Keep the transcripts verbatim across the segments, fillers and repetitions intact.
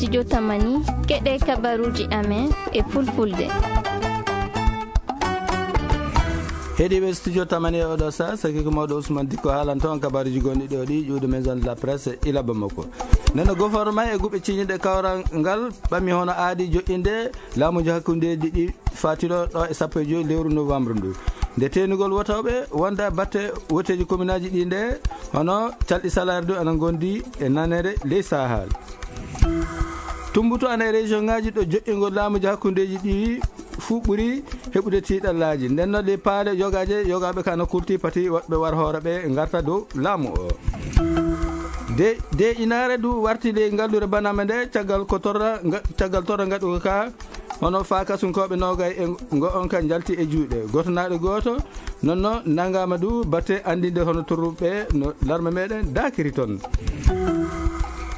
Studio Tamani, keɗe kabaruji amen e fulfulde. Heɗiɓe Studio Tamani e oɗo sa, saki ko mawɗo Ousmane Dikko haalan toon kabaruji gonɗi ɗo ɗi ƴuwde Maison de la Presse ila Bamako. Neno goforma e guɓe ciñiɗe kawral ngal ɓami hono aadi joƴƴinde laamuji hakkundeji ɗi fatiɗo ɗo e sappo e joyi lewru novembre ndu. Nde teenugol wotooɓe wonda batte woteeji kominaaji ɗi nde, hono calɗi salaire du ana ngondi e nanere ley Sahel. Tumbutu ana e région ngaji ɗo joƴƴingol laamuji hakkundeji ɗi fuu ɓuri heɓude tiiɗallaaji. Nden noon ley paale yogaaje, yogaaɓe ka no kulti pati woɓɓe war hoore ɓe ngarta dow laamu o. De, de inaare du warti ley ngallure banama nde, caggal ko torra, nga-, caggal torra ngaɗugo ka, hono fa kasunkooɓe noogay e ngo on ka njalti e juuɗe. Gooto naaɗo gooto, nonno nangama du batte andinde hono torruɓe no larme meɗen dakiri toon.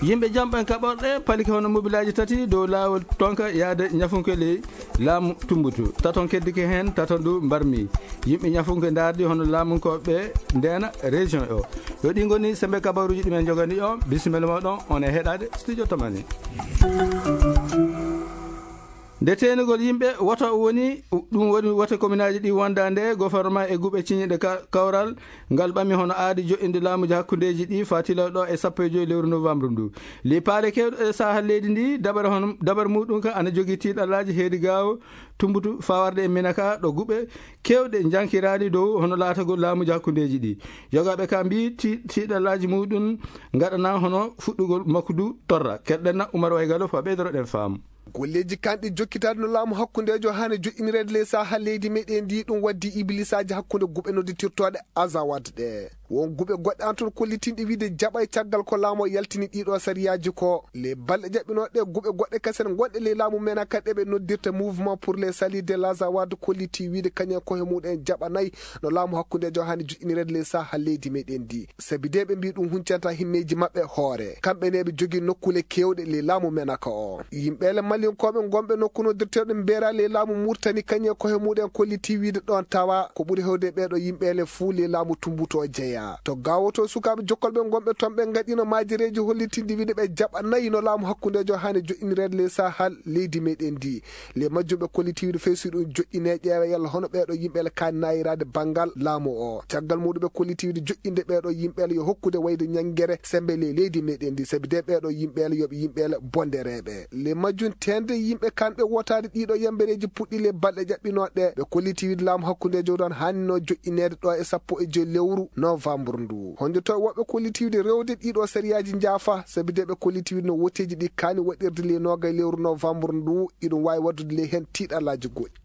Yimɓe jamɓen kaɓorɗe palike hono mobilaaji tati dow laawol tonka yaade ñafunke ley laamu tumbutu. Taton keddike heen, taton du mbarmi. Yimɓe ñafunke ndaardi hono laamunkooɓe ndeena région o. Yo ɗi ngoni sembe kabaruji ɗi men jogani on. Bisimilla moɗon, on e heɗade Studio Tamani. Nde teenugol yimɓe woto woni, ɗum woni wote kominaaji ɗi wonda nde goforma e guɓe ciñiɗe ka-, kawral ngal ɓami hono aadi joƴƴinde laamuji hakkundeji ɗi fatilaw ɗo e sappo e joyi lewru novembre ndu. Li paale kewɗe e sahal leydi ndi, dabare hono, dabare muɗum ka ana jogii tiiɗallaaji heedi gaawo tumbutu fawarde e Minaka ɗo guɓe kewɗe jankiraɗi dow hono laatagol laamuji hakkundeji ɗi. Yogaaɓe ka mbi ti-, tiiɗallaaji muɗum ngaɗana hono fuɗɗugol makko du torra. Keɗɗen na Umar Waygalo fa ɓeydoroɗen faamu. Golleeji kanɗi jokkitaade no laamu hakkundeejo haani joƴƴinireede ley saaha leydi meɗen ndi, ɗum waddi iblisaaji hakkunde guɓe nodditirtooɗe Azawad ɗe. Won guɓe goɗɗe an toon kollitinɗe wiide jaɓay caggal ko laamu o yaltini ɗiɗo sariyaaji ko. Le balɗe jaɓɓinooɗe guɓe goɗɗe kasen gonɗe ley laamu men ka ɗe ɓe noddirta Mouvement pour le Salut de l'Azawad kolliti wiide kañum ko he muɗen jaɓanay no laamu hakkundeejo haani joƴƴinireede ley saaha leydi meɗen ndi. Sabi de ɓe mbi ɗum huncanta himmeeji maɓɓe hoore. Kamɓe ne ɓe jogii nokkuule keewɗe ley laamu men ka o. Yimɓeele Malinkooɓe gonɓe nokku noddirteeɗo Mbeera ley laamu Murtani kañum ko he muɗen kolliti wiide ɗon tawa ko ɓuri hewde ɓeeɗo yimɓeele fuu ley laamu Tumbutu o jeyaa. To gawoto sukaaɓe jokkolɓe gonɓe toon ɓe ngaɗino maajereeji hollitinɗi wiide ɓe jaɓanay no laamu hakkundeejo haani joƴƴinireede ley sahal leydi meɗen ndi. Le majjum ɓe kolliti wiide fey so ɗum joƴƴine ƴeewa yalla hono ɓeeɗo yimɓeele kaani naayiraade banngal laamu o. Caggal muɗum ɓe kolliti wiide joƴƴinde ɓeeɗo yimɓeele yo hokkude wayde ñanngere sembe ley leydi meɗen ndi, sabi de ɓeeɗo yimɓeele yo ɓe yimɓeele bondereeɓe. Le majjum teende yimɓe kanɓe wotaade ɗiɗo yambereeji puɗɗi le balɗe jaɓɓinooɗe. Ɓe kolliti wiide laamu hakkundeejo ɗon haannino joƴƴineede ɗo e sappo e joyi lewru novembre ndu. Honde to woɓɓe kolliti wiide rewde ɗiɗo sariyaaji njaafa, sabi de ɓe kolliti wiide no woteeji ɗi kaani waɗirde ley noogay lewru novembre ndu, iɗum waawi waɗdude ley heen tiiɗallaaji goɗɗi.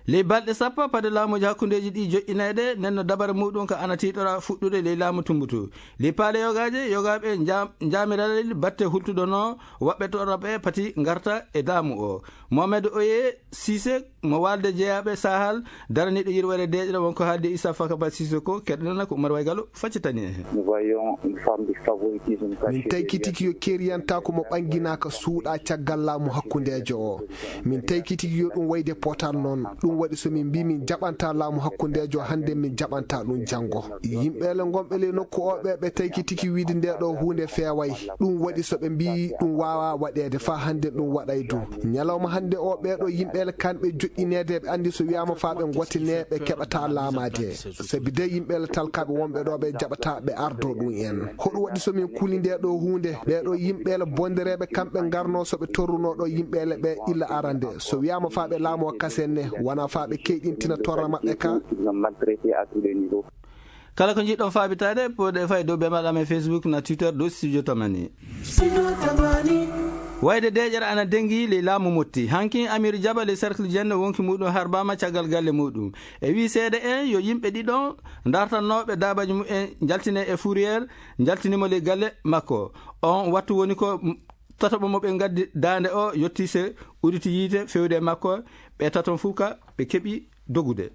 Ley balɗe sappo pade laamuji hakkundeeji ɗi joƴƴineede, nden no dabare muɗum ka ana tiiɗora fuɗɗude ley laamu Tumbutu. Ley paale yogaaje, yogaaɓe njaam-, njaamiralel batte hultuɗo no woɓɓe torraɓe pati ngarta e laamu o. Mohamed Oye Cissé mo waalde jeyaaɓe Sahal, daraniiɗo yirwere deeƴre wonko haalde Issa Fakaba Cissé ko, keɗɗenana ko Umar Waygalo faccitani en. Nous voyons une forme de favoritisme caché. Min taykitiki yo keriyantaaku mo ɓannginaaka suuɗa caggal laamu hakkundeejo o. Min taykitiki yo ɗum wayde potal noon. Ɗum waɗi so min mbi min jaɓanta laamu hakkundeejo hannde, min jaɓanta ɗum janngo. Yimɓeele ngonɓe ley nokku o ɓe, ɓe taykitiki wiide nde ɗo huunde feeway. Ɗum waɗi so ɓe mbi ɗum waawa waɗeede faa hannde ɗum waɗay du. Ñalawma hannde o ɓeeɗo yimɓeele kanɓe joƴƴineede ɓe anndi so wiyaama faa ɓe ngotine ɓe keɓata laamaade. Sabi de yimɓeele talkaaɓe wonɓe ɗo ɓe jaɓata ɓe ardo ɗum en. Hoɗum waɗi so min kuli nde ɗo huunde? Ɓeeɗo yimɓeele bondereeɓe kamɓe ngarno so ɓe torruno ɗo yimɓeele ɓe illa arande. So wiyaama faa ɓe laamoo kasen ne, wona faa ɓe keyɗintina torra maɓɓe ka. Kala ko njiɗɗon faabitaade, pooɗe fay dow bembaɗam e Facebook na Twitter dow Studio Tamani. Wayde deeƴere ana dengi ley laamu Motti. Hankin Amir Jaba ley cercle Jenne wonki muɗum harbaama caggal galle muɗum. E wii seede en yo yimɓe ɗiɗon dartannooɓe daabaji mumen njaltine e fourrière, njaltinimo ley galle makko. On wattu woni ko m-, tataɓo mo ɓe ngaddi daande o yotti se uditi yiite fewde e makko. Ɓe taton fof ka ɓe keɓi dogude.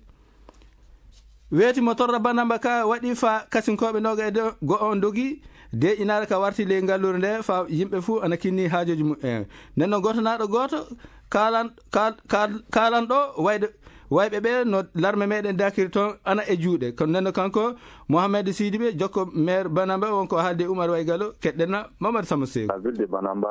Weeti mo torra banamba ka waɗi fa kasinkooɓe noga e do-, go on dogi, de inaare ka warti ley ngallure nde fa yimɓe fuu ana kinni haajooji mumen. Nden noon gooto naaɗo gooto kaalan-, kaal-, kaal-, kaalanɗo wayde, Wayɓe ɓe no larme meɗen dakiri toon ana e juuɗe. Kono nden no kanko Mohamed Sidibe, jokko maire Banamba, wonko haalde Oumar Waygalo, keɗɗen na Mamadou Samba Seeku. La ville de Banamba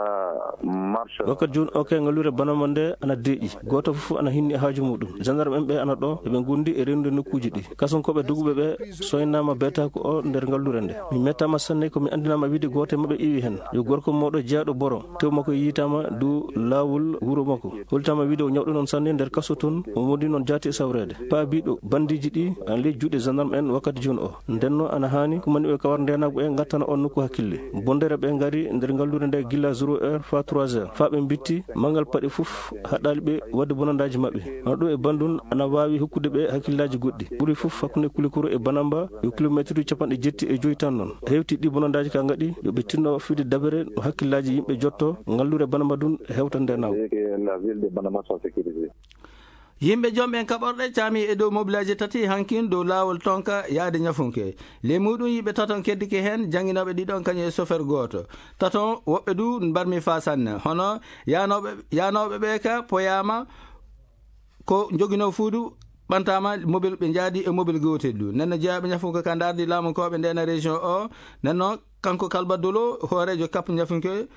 marche. Wakkati jooni o kay ngalluure Banamba nde ana deeƴi. Gooto fof ana hinni haaju muɗum. Gendarme en ɓe ana ɗo, eɓe ngondi e rewnude nokkuuji ɗi. Kasonkooɓe doguɓe ɓe soynaama beetaaku o nder ngalluure nde. Mi mettaama sanne ko mi anndinaama wiide gooto e maɓɓe iwi heen. Yo gorko mawɗo jeyaaɗo boro, tew makko yiytaama dow laawol wuro makko. Hollitaama wiide o ñawɗo noon sanne nder kaso toon, o wondi noon jaati e sawreede. Paabiiɗo bandiiji ɗi ana ley juuɗe gendarme en wakkati jooni o. Ndenno ana haani kumaniiɓe kawar ndeenaagu ɓe ngattana on nokku hakkille. Bondere ɓe ngari nder ngalluure nde gila zéro heure faa trois heures. Faa ɓe mbitti, manngal paɗe fof haɗaali ɓe waɗde bonandaaji maɓɓe. Hono ɗo e Bandun ana waawi hokkude ɓe hakkillaaji goɗɗi. Ɓuri fof hakkunde Kulikoro e Banamba yo kilomeetruuji capanɗe jetti e joyi tan noon. Hewti ɗi bonandaaji ka ngaɗi yo ɓe tinno fiide dabere no hakkillaaji yimɓe jotto, ngalluure Banamba dun hewta nde naw. Et que la ville de Banamba soit sécurisée. Yimɓe joom ɓen kaɓorɗe caami e dow mobilaaji tati hankin dow laawol Tonka yaade Ñafunke. Ley muɗum yimɓe taton keddike heen, jannginooɓe ɗiɗon kañum e sofer gooto. Taton woɓɓe du mbarmi faa sanne. Hono yaanooɓe, yaanooɓe ɓe ka poyaama ko njoginoo fuu du ɓantaama mobil ɓe njaadi e mobil gootel du. Nden no jeyaaɓe Ñafunke ka ndaardi laamunkooɓe ndeena région o. Nden no kanko Kalba Dolo, hooreejo kap Ñafunke,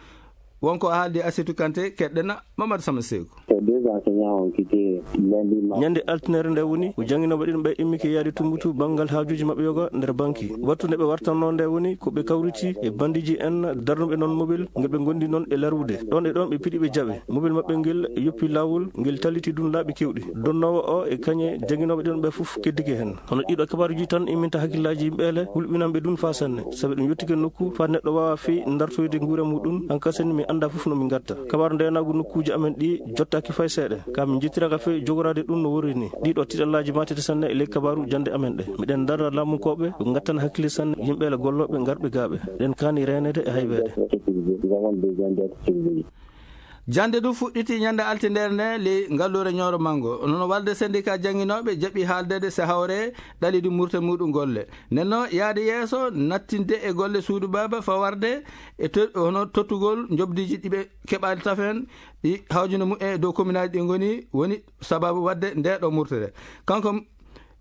wonko haaldi Asetu Kante, keɗɗen na Mamadou Sama Seeku. Les deux enseignants ont quitté lundi matin. Ñande altinere nde woni ko jannginooɓe ɗiɗon ɓe immike yaade Tumbutu banngal haajuuji maɓɓe yoga nder banki. Wattu nde ɓe wartanno nde woni ko ɓe kawriti e bandiiji en darnuɓe noon mobil ngel ɓe ngondi noon e larwude. Ɗon e ɗon ɓe piɗi ɓe jaɓe. Mobil maɓɓe ngel yoppi laawol, ngel talliti dun laaɓi kewɗi. Donnoowo o e kañe jannginooɓe ɗiɗon ɓe fof keddike heen. Hono ɗiɗo kabaaruuji tan imminta hakkillaaji yimɓe ele, hulɓinanɓe dun faa sanne. Sabi ɗum yottike nokku faa neɗɗo waawa fey ndartoyde nguure muɗum, hankasani mi annda fof no mi ngatta. Kabaaru ndeenaagu nokkuuji amen ɗi jottaaki fay seeɗa. Ka min njettiraka fey jogoraade ɗum no worri ni. Ɗiɗo tiɗallaaji maatete sanne e ley kabaaru jannde amen ɗe. Miɗen ndara laamunkooɓe ko ngattana hakkille sanne yimɓe ele gollooɓe ngarɓe gaaɓe. Eɗen kaani reeneede e hayweede. Jannde du fuɗɗiti ñande altindere nde ley ngalluure Ñooro Manngo. Nono walde syndicat jannginooɓe jaɓi haaldeede se hawre ɗalidi murte muɗum golle. Nden no yaade yeeso nattinde e golle suudu baaba fawarde e to-, hono tottugol njoɓdiiji ɗi ɓe keɓaali tafen ɗi hawjuno mumen e dow kominaaji ɗi ngoni, woni sababu waɗde nde ɗo murtere. Kanko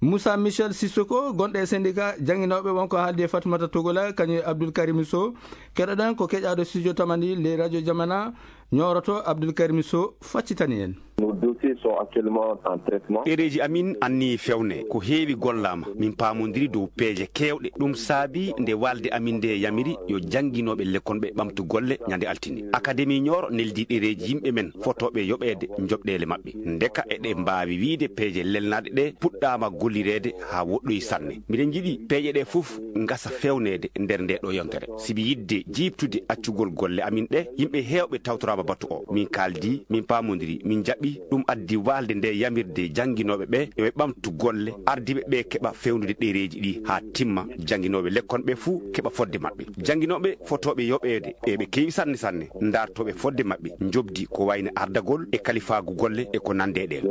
Moussa Michel Sissoko, gonɗo e syndicat jannginooɓe, wonko haaldi e Fatimata Togola, kañum e Abdoul Karim Sow. Keɗoɗen ko keƴaaɗo studio Tamani ley radio Jamana, Ñooroto Abdoul Karim Sow faccitani en. Nos dossiers sont actuellement en traitement. Ɗereeji amin anni fewne, ko heewi gollaama. Min paamondiri dow peeje keewɗe. Ɗum saabi nde walde amin nde yamiri yo jannginooɓe lekkonɓe ɓamtu golle ñande altine. Akademi Ñooro neldi ɗereeji yimɓe men fotooɓe yoɓeede njoɓɗeele maɓɓe. Ndeka eɗe mbaawi wiyde peeje lelnaaɗe ɗe puɗɗaama gollireede haa woɗɗoyi sanne. Miɗen njiɗi peeje ɗe fof ngasa fewneede nder nde ɗo yontere. Sibi yidde jiiɓtude accugol golle amin ɗe, yimɓe heewɓe tawtoraama batu o. Min kaaldi, min paamondiri, min njaɓi. Ɗum addi waalde nde yamirde jannginooɓe ɓe yo ɓe ɓamtu golle, ardiiɓe ɓe keɓa fewnude ɗereeji ɗi haa timma. Jannginooɓe lekkon ɓe fuu keɓa fodde maɓɓe. Jannginooɓe fotooɓe yoɓeede e ɓe keewi sanne sanne, ndartooɓe fodde maɓɓe, njoɓdi ko wayno ardagol e kalifaagu golle e ko nande e ɗeen.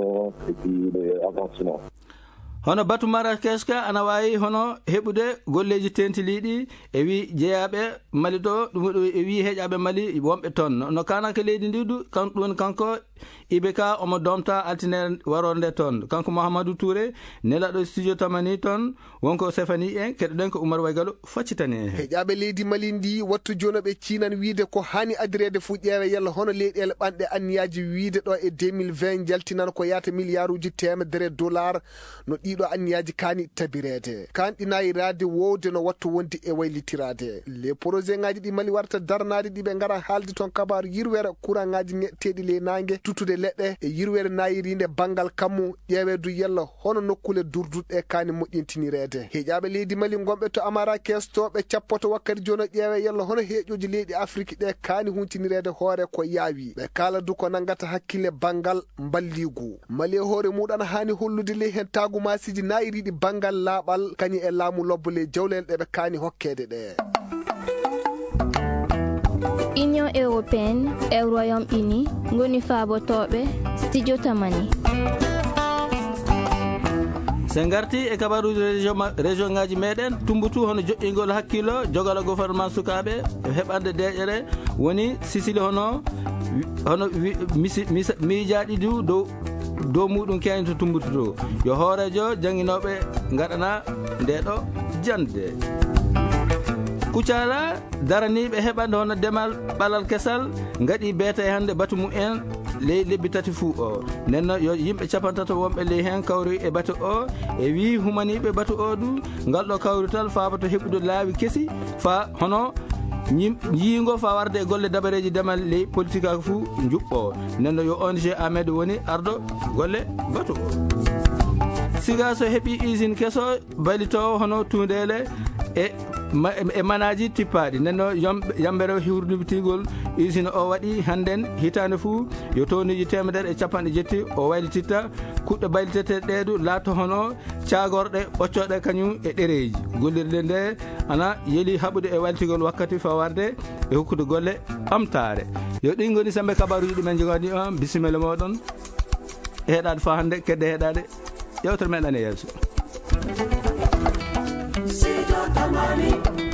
Hono batu Marrakech ka ana waawi hono heɓude golleeji teentiliiɗi e wii jeyaaɓe Mali ɗo, ɗum waɗi e wii heƴaaɓe Mali wonɓe toon. No kaananke leydi ndi du, kan-, ɗum woni kanko Ibe ka omo domta altine waroore nde toon. Kanko Mouhamadou Touré, nelaaɗo studio Tamani toon, wonko sefani en, keɗoɗen ko Oumar Waygalo faccitani en. Heƴaaɓe leydi Mali ndi wattu jooni ɓe ciinan wiide ko haani adireede fuu ƴeewe yalla hono leyɗeele ɓanɗe anniyaaji wiide ɗo e deux mille vingt njaltinan ko yaata miliyaaruuji teemedere dollar no ɗiɗo anniyaaji kaani tabireede. Kaan ɗi naayiraade wowde no wattu wonde e waylitiraade. Les projets ŋaaji ɗi Mali warata darnaade ɗi ɓe ngara haalde toon kabaaru yirwere kuraŋaaji ŋeɗteeɗi ley naange, tuttude leɗɗe e yirwere naayiriinde banngal kammu, ƴeewe du yalla hono nokkuule durduɗe kaani moƴƴintinireede. Heƴaaɓe leydi Mali ngonɓe to Amarakes to ɓe cappoto wakkati jooni ƴeewe yalla hono heeƴooji leyɗi Afiriki ɗe kaani huntinireede hoore ko yaawi. Ɓe kaala du ko nanngata hakkille banngal mballiigu. Mali e hoore muɗum ana haani hollude ley heen taagumaasiiji naayiriiɗi banngal laaɓal kañum e laamu lobbo ley jawleele ɗe ɓe kaani hokkeede ɗe. Union européenne e Royaume-Uni ngoni faabotooɓe studio Tamani. So en ngarti e kabaruuji région ma-, région ŋaaji meɗen, Tumbutu hono joƴƴingol hakkillo, jogala gouvernement sukaaɓe, e heɓande deeƴere, woni Sicile hono, hono wi-, misi-, misa-, miijaaɗi du dow dow muɗum keñoto tumbuto to. Yo hooreejo jannginooɓe ngaɗana nde ɗo jannde. Kucala daraniiɓe heɓande hono demal ɓalal kesal ngaɗi beeta e hannde batu mum en ley lebbi tati fuu o. Nden noon yo yimɓe capantato wonɓe ley heen kawri e batu o, e wii humaniiɓe batu o du, ngal ɗo kawrital faaboto heɓude laawi kesi fa hono ñim-, yiingo fa warde e golle dabareeji demal ley politique ak fuu njuɓɓo. Nden noon yo O N G Ahmed woni ardo golle batu o. Siga so heɓi usine keso baylitoowo hono tuundeele e ma-, e manaaji tippaaɗi. Nden noon yom-, yambere hiwrdibitigol usine o waɗi hannden hitaande fuu yo towniiji teemedere e capanɗe jetti o waylititta. Kuɗɗe bayliteteeɗe ɗee du laato hono caagorɗe ɓoccooɗe kañum e ɗereeji. Gollirde nde ana yeli haɓude e waylitigol wakkati fawarde e hokkude golle ɓamtaare. Yo ɗin ngoni sembe kabaruuji ɗi men njogani on. Bisimilla mooɗon. Heɗaade fa hannde, kedde heɗaade. Yewtere men ɗan e yeeso. Sido Tamani.